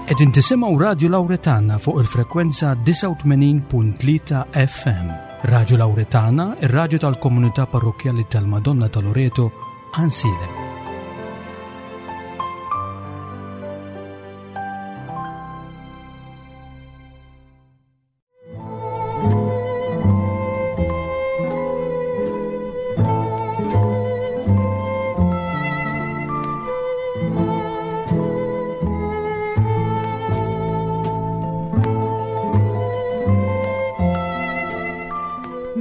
Qegħdin tisimgħu Radju Lawretana fuq il-frekwenza 89.3 FM. Radju Lawretana, ir-radju tal-komunità parrokkjali tal-Madonna ta' Loreto, Ansilem.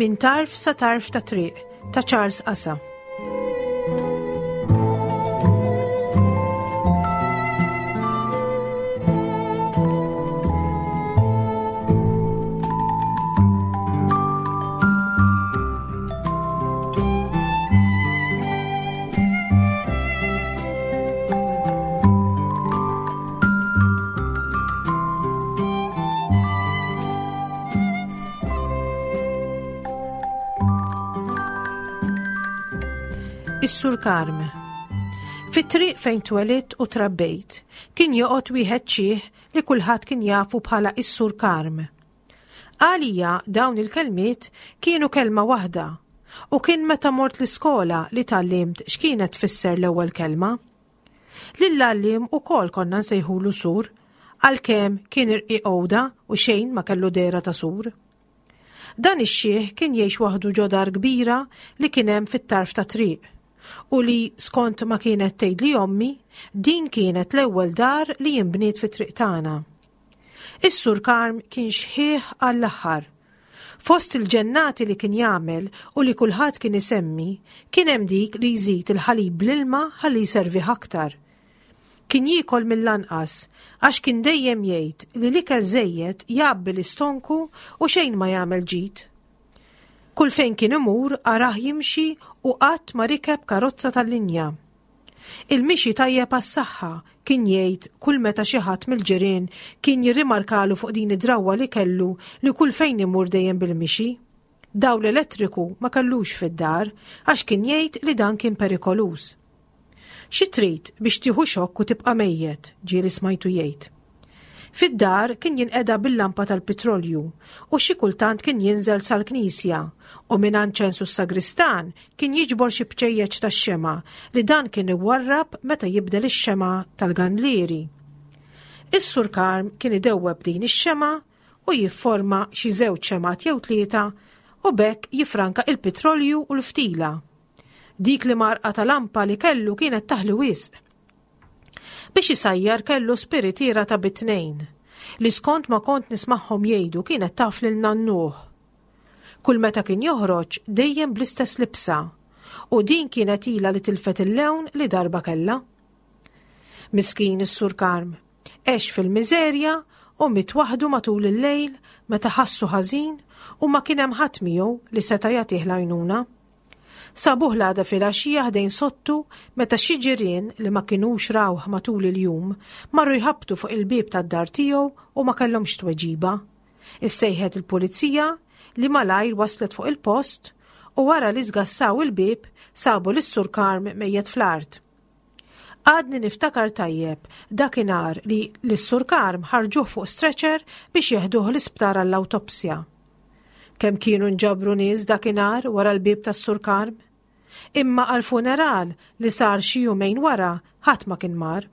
Min tarf sa tarf ta' triq ta' Charles Asa. Is-Sur Karm. Fit-triq fejn twelidt u trabbejt, kien joqgħod wieħed ċieħ li kulħadd kien jafu bħala is-Sur Karm. Għalija dawn il-kelmiet kienu kelma waħda u kien meta mort l-iskola li tgħallimt x'kienet tfisser l-ewwel kelma. Lill-għalliem ukoll konna nsejħulu sur, għalkemm kien irqiq għoda u xejn ma kellu dehra ta' sur. Dan ix-xiħ kien jgħix waħdu ġo dar kbira li kien hemm fit-tarf ta' triq u li skont ma kienet tgħidli ommi, din kienet l-ewwel dar li jinbniet fit-triq tagħna. Is-Sur Karm kien xħiħ għall-aħħar. Fost il-ġennati li kien jagħmel u li kulħadd kien isemmi, kien hemm dik li jżid il-ħalib bl-ilma ħalli jservih aktar. Kien jiekol mill-anqas, għax kien dejjem jgħid li l-ikel żejjed jgħabbi l-istonku u xejn ma jagħmel ġid. Kull fejn kien imur arah jimxi u qatt ma rikeb karozza tal-linja. Il-mixi tajjeb għas-saħħa, kien jgħid kull meta xi ħadd mill-ġirien kien jirrimarkalu fuq din id-drawwa li kellu li kull fejn imur dejjem bil-mixi. Dawl elettriku ma kellux fid-dar għax kien jgħid li dan kien perikoluż. Xi trid biex tieħu xokk u tibqa' mejjet, ġieli smajtu jgħid. Fid-dar kien jinqeda bil-lampa tal-pitrolju u xi kultant kien jinżel sal-knisja u mingħand ċensu s-sagristan kien jiġbor xi bċejjeċ tax-xemgħa li dan kien iwarrab meta jibdel ix-xemgħa tal-gandlieri. Is-Sur Karm kien idewweb din ix-xemgħa u jifforma xi żewġ xemgħat jew tlieta u b'hekk jiffranka il-pitrolju u l-ftila. Dik li marqa ta' lampa li kellu kienet taħli wisq. Biex isajjar kellu spiritiera ta' bitnejn, li skont ma kont nismagħhom jgħidu kienet taf lil nannuh. Kull meta kien joħroġ dejjem bl-istess libsa, u din kienet ilha li tilfet il-lewn li darba kellha. Miskin is-Sur Karm, għex fil-miżerja u miet waħdu matul il-lejl meta ħassu ħażin u ma kien hemm ħadd miegħu li seta' jagħtih l-għajnuna. Sabuh l-għada filgħaxija ħdejn sottu meta xi ġirien li ma kinux rawh matul il-jum marru jħabbtu fuq il-bieb tad-dar tiegħu u ma kellhomx tweġiba. Issejħet il-pulizija li malajr waslet fuq il-post u wara li żgassaw il-bieb sabu lis-Sur Karm mejjet fl-art. Għadni niftakar tajjeb dakinhar li lis-Sur Karm ħarġuh fuq stretcher biex jeħduh l-isptar għall-awtopsja. Kemm kienu nġabru nies dakinhar wara l-bieb tas-Sur Karm. Imma għall-funeral li sar xi jumejn wara ħadd ma kien mar.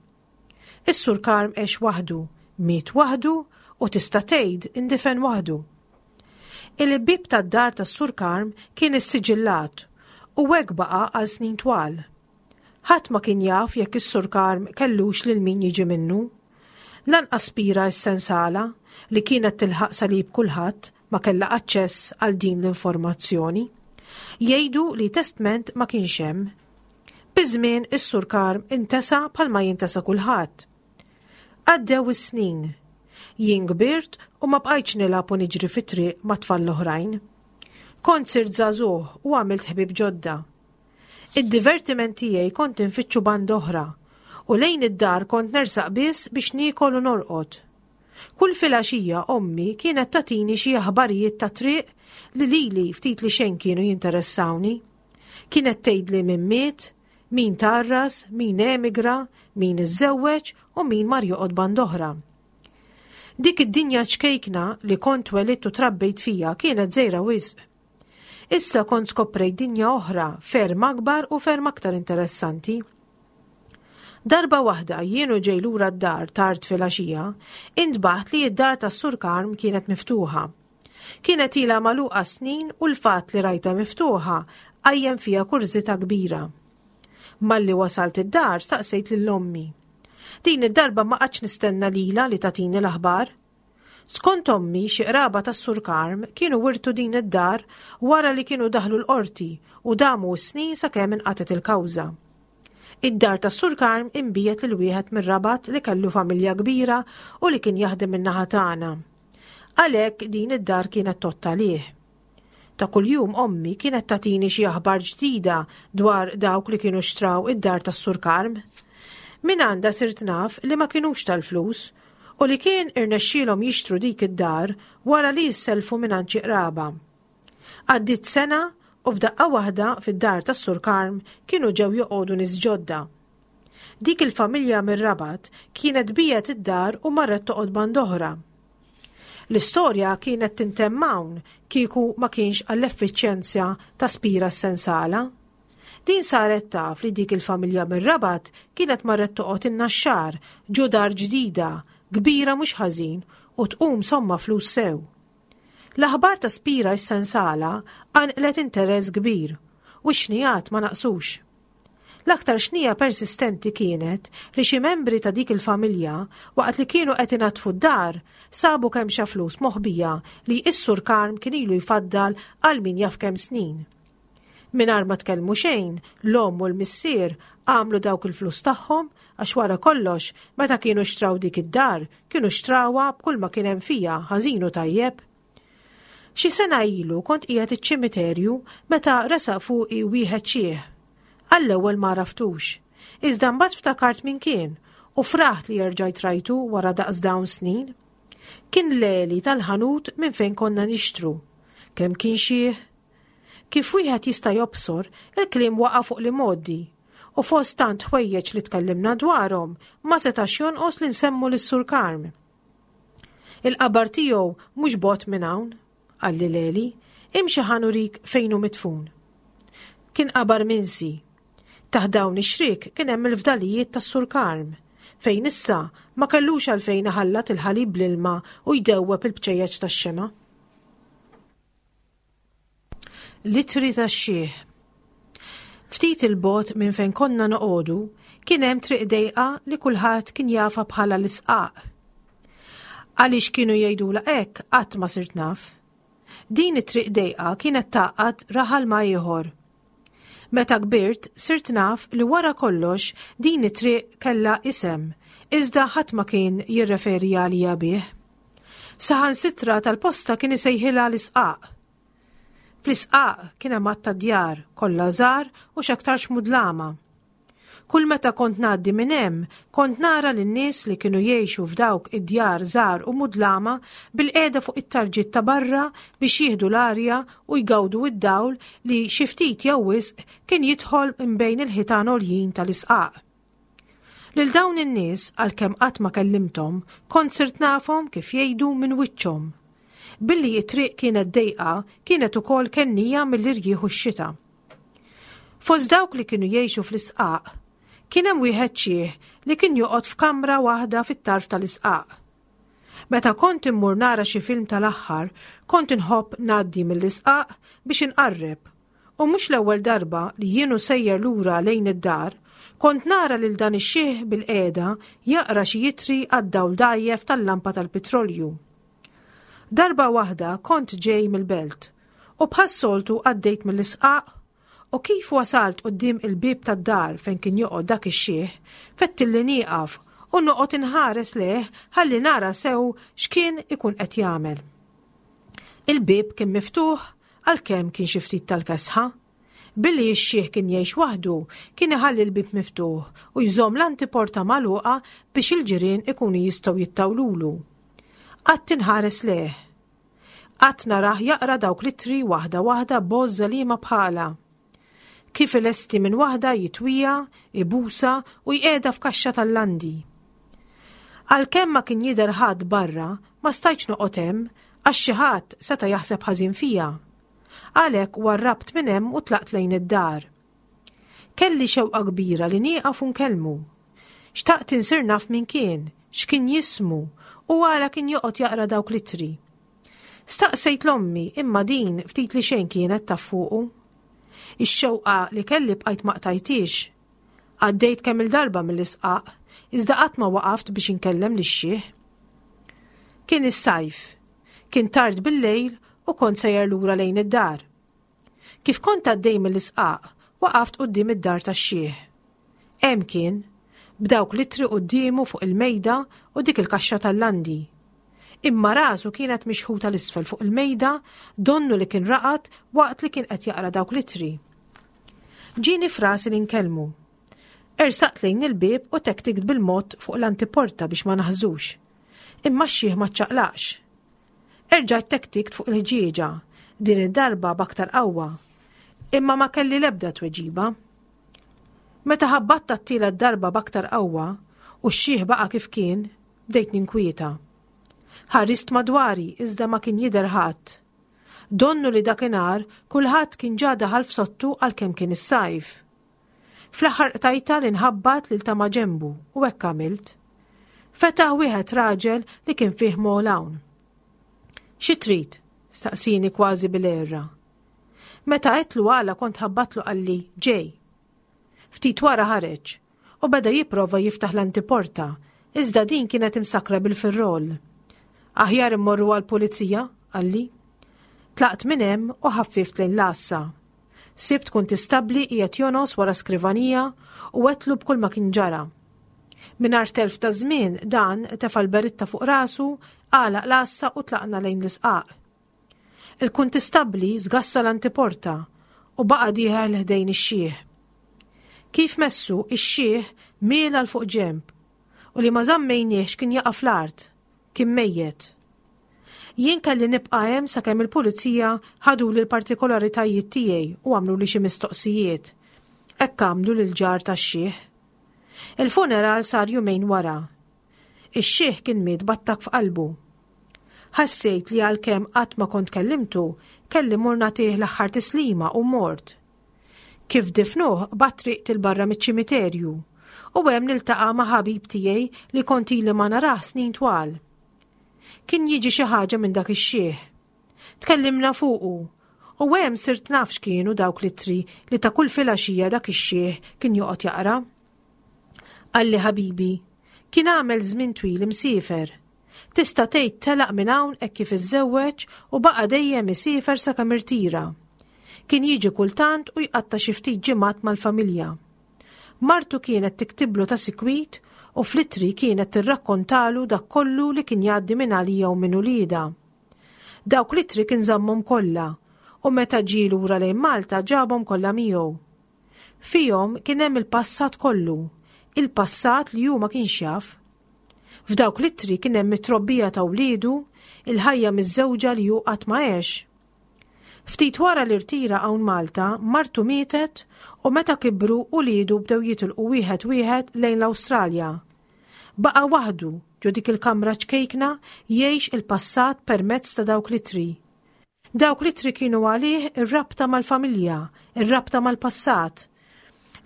Is-Sur Karm għex waħdu, miet waħdu u tista' tgħid indifen waħdu. Il-bieb tad-dar tas-Sur Karm kien issiġillat u hekk baqa' għal snin twal. Ħadd ma kien jaf jekk is-Sur Karm kellux lil min jiġi minnu. Lanqas Pira s-sensala, li kienet tilħaq salib kulħadd, ma kellha aċċess għal din l-informazzjoni. Jgħidu li testment ma kienx hemm. Biż-żmien is-Sur Karm intesa bħalma jintesa kulħadd. Għaddew is-snin. Jien kbirt u ma bqajtx nilgħab u niġri fit-triq mat-tfal l-oħrajn. Kont sirt żagħżugħ u għamilt ħbieb ġodda. Id-divertiment tiegħi kont infittxu band oħra u lejn id-dar kont nersaq biss biex niekol u norqod. Kull filgħaxija ommi kienet tagħtini xi aħbarijiet tat-triq li lili ftit li xejn kienu jinteressawni. Kienet tgħidli min miet, min tgħarras, min emigra, min iżżewweġ u min mar joqgħod band oħra. Dik id-dinja ċkejkna li kont twelidt u trabbejt fija kienet żgħira wisq. Issa kont skoprejt dinja oħra ferm akbar u ferm aktar interessanti. Darba waħda jien u ġej lura d-dar tard filgħaxija, intbaħt li d-dar tas-Sur Karm kienet miftuħa. Kienet ilha magħluqa snin u l-fatt li rajtha miftuħa qajjem fija kurżità kbira. Malli wasalt id-dar staqsejt lil ommi. Din id-darba ma qgħadtx nistenna lilha li tagħtini l-aħbar. Skont ommi, xi qraba tas-Sur Karm kienu wirtu din id-dar wara li kienu daħlu l-qorti u damu s-snin sakemm inqatgħet il-kawża. Id-dar tas-Sur Karm inbiegħet lil wieħed mir-Rabat li kellu familja kbira u li kien jaħdem min-naħa tagħna. Għalhekk din id-dar kienet tgħodd għalih. Ta' kuljum ommi kienet tagħtini xi aħbar ġdida dwar dawk li kienu xtraw id-dar tas-Sur Karm. Min għandha sirt naf li ma kinux tal-flus u li kien irnexxielhom jixtru dik id-dar wara li jisselfu mingħand xi qraba. Għaddiet sena u f'daqqa waħda fid-dar tas-Sur Karm kienu ġew joqogħdu nies ġodda. Dik il-familja mir-Rabat kienet biegħet id-dar u marret toqgħod band'oħra. L-istorja kienet tintemm hawn kieku ma kienx għall-effiċjenza ta' Spira s-Sensala. Din saret taf li dik il-familja mir-Rabat kienet marret toqgħod in-Naxxar ġo dar ġdida, kbira mhux ħażin u tqum somma flus sew. L-aħbar ta' Spira s-Sensala qanqlet interess kbir u x-xnigħat ma naqsux. L-aktar xnija persistenti kienet li xi membri ta' dik il-familja, waqt li kienu qed inaddfu d-dar, sabu kemxa flus moħbija li s-Sur Karm kien ilu jfaddal għal min jaf kemm snin. Mingħajr ma tkellmu xejn, l-omm u l-missier għamlu dawk il-flus tagħhom għax wara kollox meta kienu xtraw dik id-dar, kienu xtrawha b'kull ma kien hemm fiha ħażin u tajjeb. Xi sena ilu kont qiegħed iċ-ċimiterju meta resaq fuqi wieħed xiħ. Għall-ewwel ma għaraftux. Iżda mbagħad ftakart min kien u fraħt li erġajt rajtu wara daqs dawn snin. Kien Leli tal-ħanut minn fejn konna nixtru. Kemm kien xiħ? Kif wieħed jista' jobsor, il-kliem waqa' fuq l-imgħoddi. U fost tant ħwejjeġ li tkellimna dwarhom, ma setax jonqos li nsemmu lis-Sur Karm. Il-qabar tiegħu mhux bogħod minn hawn, qalli Leli, imxi ħa nurik fejn hu midfun. Kien qabar minsi. Taħt dawn ix-xriek kien hemm il-fdalijiet tas-Sur Karm, fejn issa ma kellux għalfejn iħallat il-ħalib bl-ilma u jdewweb il-bċejjeċ tax-xemgħa. L-ittri tax-xiħ. Ftit 'il bogħod minn fejn konna noqogħdu kien hemm triq dejqa li kulħadd kien jafha bħala l-isqaq. Għaliex kienu jgħidulha hekk qatt ma sirt naf. Din it-triq dejqa kienet tgħaqqad raħal ma' ieħor. Meta kbirt sirt naf li wara kollox din it-triq kellha isem, iżda ħadd ma kien jirreferi għaliha bih. Saħansitra tal-posta kien isejħilha l-isqaq. Fl-isqaq kien hemm għadd ta' djar, kollha żgħar u x'aktarx mudlama. Kull meta kont ngħaddi minn hemm, kont nara lin-nies li kienu jgħixu f'dawk id-djar żgħar u mudlama bilqiegħda fuq it-tarġiet ta' barra biex jieħdu l-arja u jgawdu d-dawl li xi ftit jew wisq kien jidħol minn bejn il-ħitan għoljin tal-isqaq. Lil dawn in-nies, għalkemm qatt ma kellimthom, kont sirt nafhom kif jgħidu minn wiċċhom. Billi t-triq kienet dejqa, kienet ukoll kennija mill-irjieħ u x-xita. Fost dawk li kienu jgħixu fl-isqaq, kien hemm wieħed xiħ li kien joqgħod f'kamra waħda fit-tarf tal-isqaq. Meta kont immur nara xi film tal-aħħar, kont inħobb ngħaddi mill-isqaq biex inqarreb U mhux l-ewwel darba li jien u sejjer lura lejn id-dar, kont nara lil dan ix-xiħ bilqiegħda jaqra xi ittri għad-dawl dgħajjef tal-lampa tal-pitrolju. Darba waħda kont ġej mill-belt u bħas-soltu għaddejt mill-isqaq u kif wasalt quddiem il-bieb tad-dar fejn kien joqgħod dak ix-xiħ, fettilli nieqaf u noqgħod inħares lejh ħalli nara sew x'kien ikun qed jagħmel. Il-bieb kien miftuħ għalkemm kien xi ftit tal-kesħa. Billi x-xiħ kien jgħix waħdu, kien iħalli l-bieb miftuħ u jżomm l-antiporta magħluqa biex il-ġirien ikunu jistgħu jittawlulu. Qatt inħares lejh. Qatt narah jaqra dawk l-ittri waħda waħda b'għożża liema bħalha. Kif ilesti minn waħda jitwiha, ibusha u jqiegħdha f'kaxxa tal-landi. Għalkemm ma kien jidher ħadd barra, Ma stajtx noqgħod hemm għax xi ħadd seta' jaħseb ħażin fija. Għalhekk warrabt minn hemm u tlaqt lejn id-dar. Kelli xewqa kbira li nieqaf u nkellmu. Xtaqt insir naf min kien, x'kien jismu u għala kien joqgħod jaqra dawk l-ittri. Staqsejt l-ommi imma din ftit li xejn kienet taf fuqu. Ix-xewqa li kelli bqajt ma qtajtix. Għaddejt kemm-il darba mill-isqaq, iżda qatt ma waqaft biex inkellem lix-xiħ. Kien is-sajf. Kien tard bil-lejl u kont sejjer lura lejn id-dar. Kif kont għaddej mill-isqaq, waqaft quddiem id-dar tax-xiħ. Hemm kien, b'dawk l-ittri quddiemu fuq il-mejda u dik il-kaxxa tal-landi. Imma rasu kienet mixħuta 'l isfel fuq il-mejda donnu li kien raqad waqt li kien qed jaqra dawk l-ittri. Ġieni f'rasi li nkellmu. Ersaqt lejn il-bieb u tektikt bil-mod fuq l-antiporta biex ma naħżux. Imma x-xiħ ma ċċaqlaqx. Erġajt tektikt fuq il-ħġieġa, din id-darba b'aktar qawwa. Imma ma kelli l-ebda tweġiba. Meta ħabbatt għat-tielet darba b'aktar qawwa u x-xiħ baqa' kif kien, bdejt ninkwieta. Ħarist madwari iżda ma kien jidher ħadd. Donnu li dakinhar kulħadd kien ġa daħal f'sottu għalkemm kien is-sajf. Fl-aħħar qtajtha li nħabbat lil ta' maġenbu u hekk għamilt. Fetaħ wieħed raġel li kien fih mogħol hawn. Xi trid? staqsieni kważi bil-għerra. Meta għedtlu għala kont ħabbatlu qalli ġej. Ftit wara ħareġ u beda jipprova jiftaħ l-antiporta, iżda din kienet imsakkra bil-firroll. Aħjar immorru għall-pulizija, qalli. Tlaqt minn hemm u ħaffift lejn l-għassa. Sibt kuntistabbli qiegħed jonos wara skrivanija u għedtlu b'kull ma kien ġara. Mingħajr telf ta' żmien dan tefa' l-beritta fuq rasu, għalaq l-għassa u tlaqna lejn l-isqaq. Il-kuntistabbli żgassa l-antiporta u baqa' dieħel ħdejn ix-xiħ. Kif messu, ix-xiħ miel għal fuq ġenb u li ma żammejniehx kien jaqa' fl-art, kien mejjet. Jien kelli nibqa' hemm sakemm il-pulizija ħaduli l-partikolaritajiet tiegħi u għamluli xi mistoqsijiet. Hekk għamlu lill-ġar tax-xiħ. Il-funeral sar jumejn wara. Ix-xiħ kien miet b'attakk f'qalbu. Ħassejt li għalkemm qatt ma kont kellimtu, kelli mmur nagħtih l-aħħar tislima u mort. Kif difnuh qbadt triqti 'l barra miċ-ċimiterju u hemm niltaqa' ma' ħabib tiegħi li kont ili ma narah snin twal. Kien jiġi xi ħaġa minn dak ix-xiħ. Tkellimna fuqu u hemm sirt naf x'kienu dawk l-ittri li ta' kull filgħaxija dak ix-xiħ kien joqgħod jaqra. Qalli ħabibi, kien għamel żmien twil imsiefer. Tista' tgħid telaq minn hawn hekk kif iżżewweġ u baqa' dejjem isiefer sakemm irtira. Kien jiġi kultant u jqatta' xi ftit ġimgħat mal-familja. Martu kienet tiktiblu ta' sikwit u fl-ittri kienet tirrakkontalu dak kollu li kien jgħaddi minn għalija u minn uliedha. Dawk l-ittri kien żammhom kollha u meta ġie lura lejn Malta ġabhom kollha miegħu. Fihom kien hemm il-passat kollu, il-passat li hu ma kienx jaf. F'dawk l-ittri kien hemm it-trobbija ta' wliedu, il-ħajja miżżewġa li hu qatt ma għex. Ftit wara li rtira hawn Malta, martu mietet u meta kibru uliedu bdew jitilqu wieħed wieħed lejn l-Awstralja. Baqa' waħdu ġo dik il-kamra ċkejkna jgħix il-passat permezz ta' dawk l-ittri. Dawk l-ittri kienu għalih ir-rabta mal-familja, ir-rabta mal-passat.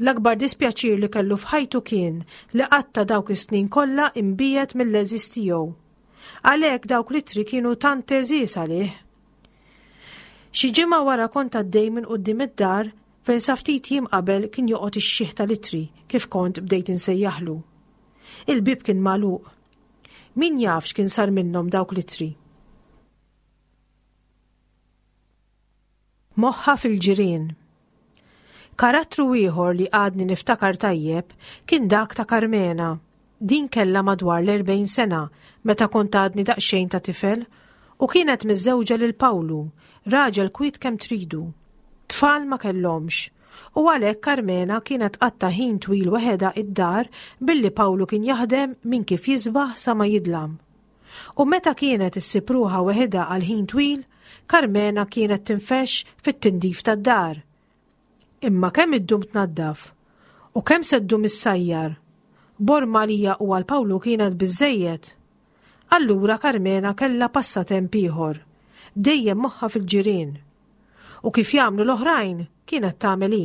L-akbar dispjaċir li kellu f'ħajtu kien li qatta' dawk is-snin kollha imbiegħed mill-għeżież tiegħu. Għalhekk dawk l-ittri kienu tant għeżież għalih. Xi ġimgħa wara kont għaddej minn quddiem id-dar fejn sa ftit jiem qabel kien joqgħod ix-xiħ tal-ittri kif kont bdejt insejjaħlu. Il-bieb kien magħluq. Min jaf x'kien sar minnhom dawk l-ittri. Moħħha fil-ġirien. Karattru ieħor li għadni niftakar tajjeb kien dak ta' Karmena. Din kellha madwar l-40 sena meta kont għadni daqsxejn ta' tifel u kienet miżżewġa lil Pawlu, raġel kwiet kemm tridu. Tfal ma kellhomx u għalhekk Karmena kienet tqatta' ħin twil weħedha id-dar billi Pawlu kien jaħdem minn kif jisbaħ sa ma jidlam. U meta kienet issib ruħha weħidha għal ħin twil, Karmena kienet tinfexx fit-tindif tad-dar. Imma kemm iddum tnaddaf? U kemm se ddum issajjar? Borma għalija u għal Pawlu kienet biżżejjed. Allura Karmena kellha passatemp ieħor, dejjem moħħha fil-ġirien. U kif jagħmlu l-oħrajn, kienet tagħmel hi.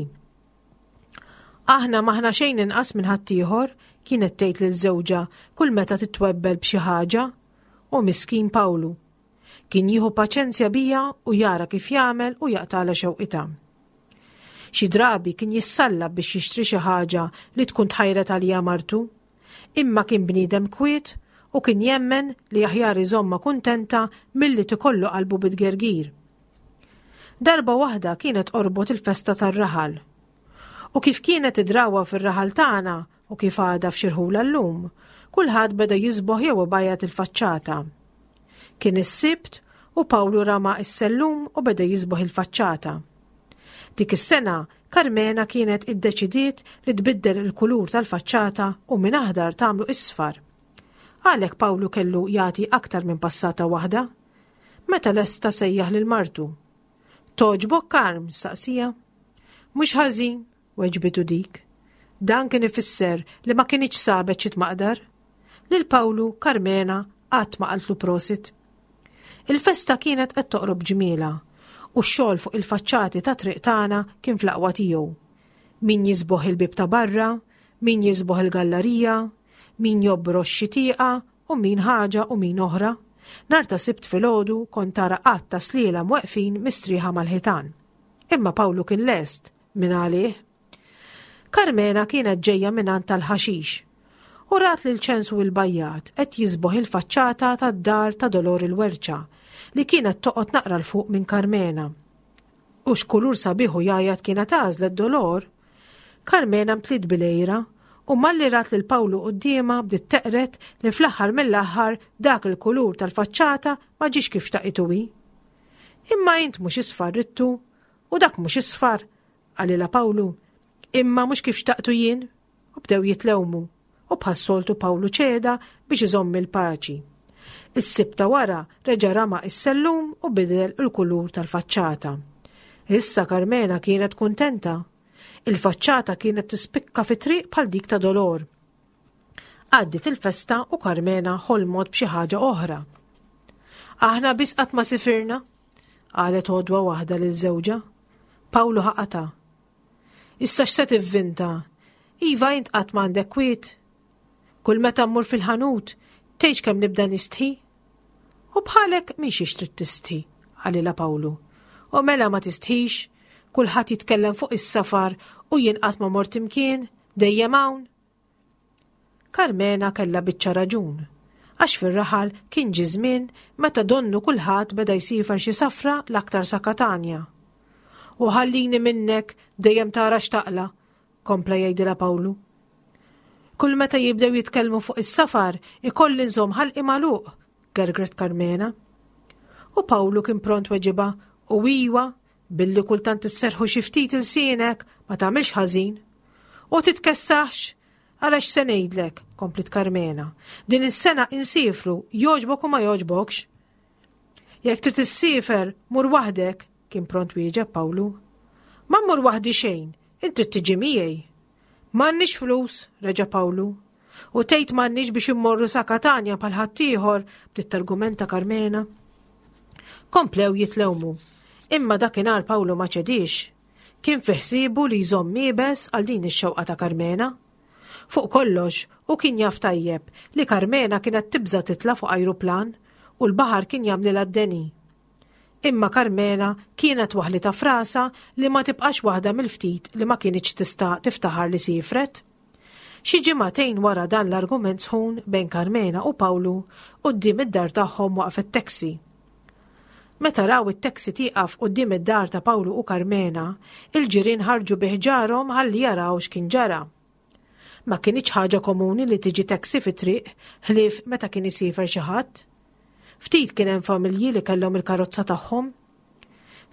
Aħna m'aħna xejn inqas minn ħaddieħor, kienet tgħid lil żewġha kull meta titwebbel b'xi ħaġa. U miskin Pawlu. Kien jieħu paċenzja bija u jara kif jagħmel u jaqtagħlha xewqitha. Xi drabi kien jissallab biex jixtri xi ħaġa li tkun tħajret għaliha martu. Imma kien bniedem kwiet u kien jemmen li aħjar iżommha kuntenta milli tikollu qalbu bit-tgergir. Darba waħda kienet qorbot il-festa tar-raħal. U kif kienet id-drawwa fir-raħal tagħna u kif għadha f'xi rħula llum, kulħadd beda jiżboħ jew ibajjad il-faċċata. Kien is-Sibt u Pawlu rama s-sellum u beda jiżboħ il-faċċata. Dik is-sena, Karmena kienet iddeċidiet li tbiddel il-kulur tal-faċċata u minn aħdar tagħmlu isfar. Għalhekk Pawlu kellu jagħti aktar minn passata waħda. Meta lesta sejjaħ lil martu. Togħġbok Karm? staqsieha. Mhux ħażin, weġbitu dik. Dan kien ifisser li ma kinitx sabet xi tmaqdar. Lil Pawlu, Karmena qatt ma qaltlu prosit. Il-festa kienet qed toqrob ġmielha u x-xogħol fuq il-faċċati ta' triq tagħna kien fl-aqwa tiegħu. Min jiżboħ il-bieb ta' barra, min jiżboħ il-gallarija, min jobrox xi tieqa u min ħaġa u min oħra. Nhar ta' Sibt filgħodu kont tara għadd ta' sliela mweqqfin mistrieħa mal-ħitan. Imma Pawlu kien lest, minn għalih. Karmena kienet ġejja mingħand tal-ħaxix u rat lil Ċensu il-Bajjat qed jiżboħ il-faċċata tad-dar ta' Dolor il-Werċa li kienet toqgħod naqra 'l fuq minn Karmena. U x'kulur sabiħ u jgħajjat kienet għażlet Dolor! Karmena mtliet bil-għira u malli rat lil Pawlu quddiemha bdiet teqred li fl-aħħar mill-aħħar dak il-kulur tal-faċċata ma ġiex kif xtaqitu hi. Imma int mhux isfar ridtu u dak mhux isfar, qalilha Pawlu. Imma mhux kif xtaqtu jien. U bdew jitlewmu, u bħas-soltu Pawlu ċeda biex iżomm il-paċi. Is-Sibt ta' wara reġa' rama s-sellum u bidel il-kulur tal-faċċata. Issa Karmena kienet kuntenta. Il-faċċata kienet tispikka fit-triq bħal dik ta' Dolor. Għaddiet il-festa u Karmena ħolmot b'xi ħaġa oħra. Aħna biss qatt ma sifirna, qalet għodwa waħda lil żewġha. Pawlu ħaqata. Issa x'se tivvinta? Iva int qatt m'għandek kwiet. Kull meta mmur fil-ħanut, tgħidx kemm nibda nistħi. U bħalek minn xiex trid tistħi, qalilha Pawlu. U mela ma tistħix, kulħadd jitkellem fuq is-safar u jien qatt ma mort imkien, dejjem hawn. Karmena kellha biċċa raġun, għax fir-raħal kien ġie żmien meta donnu kulħadd beda jsiefer xi safra l-aktar sa Katanja. U ħallini minnek dejjem tara x'taqla', kompla jgħidilha Pawlu. Kull meta jibdew jitkellmu fuq is-safar ikolli nżomm ħalqi magħluq, gergret Karmena. U Pawlu kien pront weġibha, u iwa, Billi kultant isserrħu xi ftit ilsienek ma tagħmilx ħażin. U titkessaħx, ara x'se ngħidlek, kompliet Karmena. Din is-sena insiefru, jogħġbok u ma jogħġbokx. Jekk trid issiefer, mur waħdek, kien pront wieġeb Pawlu. Ma mmur waħdi xejn, int trid tiġi miegħi. M'għandniex flus, reġa' Pawlu. U tgħid m'għandniex biex immorru sa Katanja bħal ħaddieħor, bdiet targumenta Karmena. Komplew jitlewmu. Imma dakinhar Pawlu ma ċediex. Kien fi ħsiebu li jżomm iebes għal din ix-xewqa ta' Karmena. Fuq kollox, hu kien jaf tajjeb li Karmena kienet tibża' titla' fuq ajruplan u l-baħar kien jagħmlilha d-deni. Imma Karmena kienet waħlitha f'rasha li ma tibqax waħda mill-ftit li ma kinitx tista' tiftaħar li siefret. Xi ġimagħtejn wara dan l-argument sħun bejn Karmena u Pawlu, quddiem id-dar tagħhom waqfet taxi. Meta raw it-taxi tieqaf quddiem id-dar ta' Pawlu u Karmena, il-ġirien ħarġu bi ħġarhom ħalli jaraw x'kien ġara. Ma kinitx ħaġa komuni li tiġi taxi fit-triq ħlief meta kien isiefer xi ħadd. Ftit kien hemm familji li kellhom il-karozza tagħhom.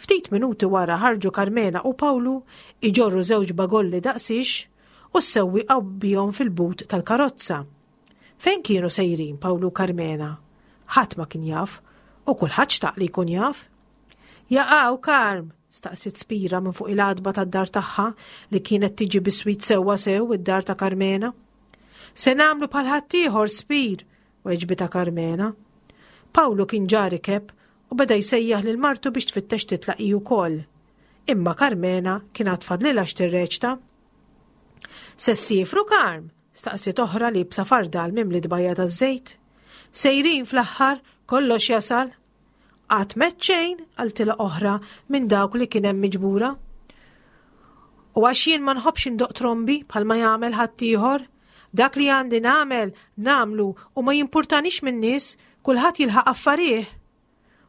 Ftit minuti wara ħarġu Karmena u Pawlu iġorru żewġ bagolli daqsiex u s-sewwieqa bihom fil-but tal-karozza. Fejn kienu sejrin Pawlu u Karmena? Ħadd ma kien jaf u kulħadd xtaq li jkun jaf. Jaqaw, Karm! staqsiet Spira minn fuq il-għatba tad-dar tagħha li kienet tiġi biswit sewwa sew id-dar ta' Karmena. Se nagħmlu bħal ħaddieħor, Spir, weġbitha Karmena. Pawlu kien ġa rikeb u beda jsejjaħ lil martu biex tfittex titlaq hi wkoll. Imma Karmena kien għad fadlilha x'tirreċta. Se ssiefru Karm? staqsiet oħra liebsa fardal mimli tbajja taż-żejt. Sejrin fl-aħħar, kollox jasal. Qatt m'għedt xejn, qaltilha oħra minn dawk li kien hemm miġbura. U għax jien ma nħobbx indoqq trombi bħalma jagħmel ħaddieħor, dak li għandi nagħmel, nagħmlu u ma jimpurtanix min-nies, kulħadd jilħaq affarih.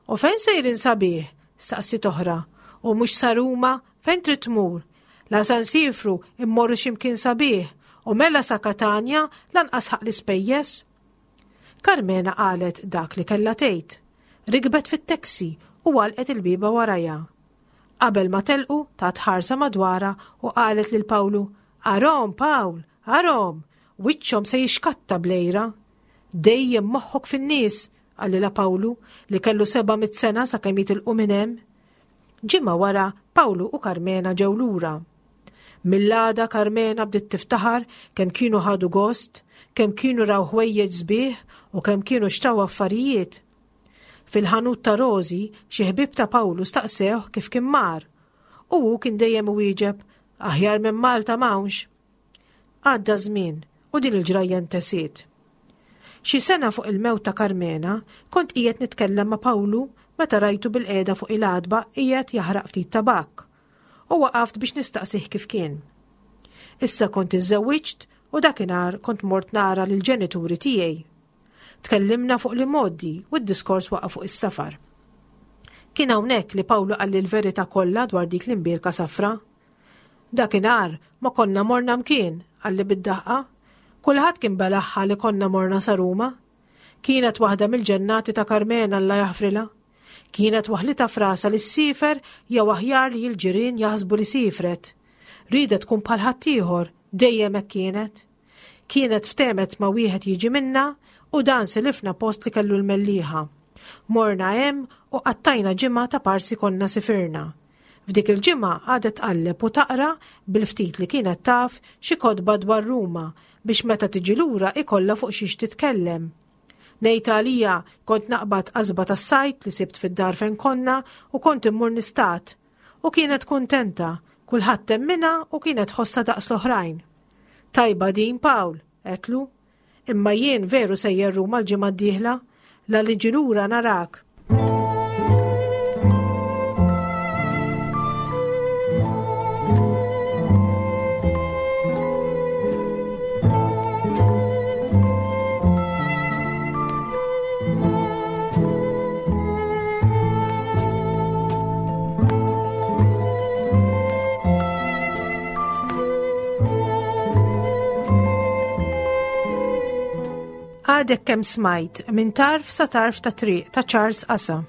U fejn sejrin sabiħ? staqsiet oħra. U mhux sa Ruma, fejn trid tmur? La sa nsifru, immorru x'imkien sabiħ, u mela sa Katanja lanqas ħaq l-ispejjeż. Karmena qalet dak li kellha tgħid. Rikbet fit-taxi u għalqet il-bieba warajha. Qabel ma telqu tat ħarsa madwarha u qalet lil Pawlu, Arhom, Pawl, arhom! Wiċċhom se jixkatta bl-għira. Dejjem moħħok fin-nies, qalilha Pawlu li kellu 700 sena sakemm jitilqu minn hemm. Ġimgħa wara, Pawlu u Karmena ġew lura. Mill-għada Karmena bdiet tiftaħar kemm kienu ħadu gost, kemm kienu raw ħwejjeġ sbieħ u kemm kienu xtraw affarijiet. Fil-ħanut ta' Rożi, xi ħbieb ta' Pawlu staqsewh kif kien mar. U hu kien dejjem iwieġeb, aħjar minn Malta m'hawnx. Għadda żmien u din il-ġrajja ntesiet. Xi sena fuq il-mewt ta' Karmena, kont qiegħed nitkellem ma' Pawlu meta rajtu bilqiegħda fuq il-għatba qiegħed jaħraq ftit tabakk u waqaft biex nistaqsih kif kien. Issa kont iżżewwiġt u dakinhar kont mort nara lill-ġenituri tiegħi. Tkellimna fuq l-imgħoddi u d-diskors waqa' fuq is-safar. Kien hawnhekk li Pawlu qalli l-verità kollha dwar dik l-imbierka safra. Dakinhar ma konna morna mkien, qalli bid-daħqa. Kulħadd kien belagħha li konna morna sa Ruma. Kienet waħda mill-ġennati ta' Karmena Alla jaħfrilha. Kienet waħlitha f'rasha li ssiefer jew aħjar li l-ġirien jaħsbu li siefret. Riedet tkun bħal ħaddieħor, dejjem hekk kienet. Kienet ftehmet ma' wieħed jiġi minna u dan silifna post li kellu l-Mellieħa. Morna hemm u qattajna ġimgħa ta' parsi konna sifirna. F'dik il-ġimgħa qagħdet tqalleb u taqra bil-ftit li kienet taf xi kotba dwar Ruma biex meta tiġi lura ikollha fuq xiex titkellem. Ngħid għalija kont naqbad qasba tas-sajd li sibt fid-dar fejn konna u kont immur nistad. U kienet kuntenta, kulħadd temminha u kienet tħossha daqs l-oħrajn. Tajba din Pawl, għedtlu. Imma jien veru sejjer Ruma l-ġimgħa d-dieħla, la niġi lura narak. Għadek kemm smajt minn tarf sa tarf ta' triq ta' Charles Asa.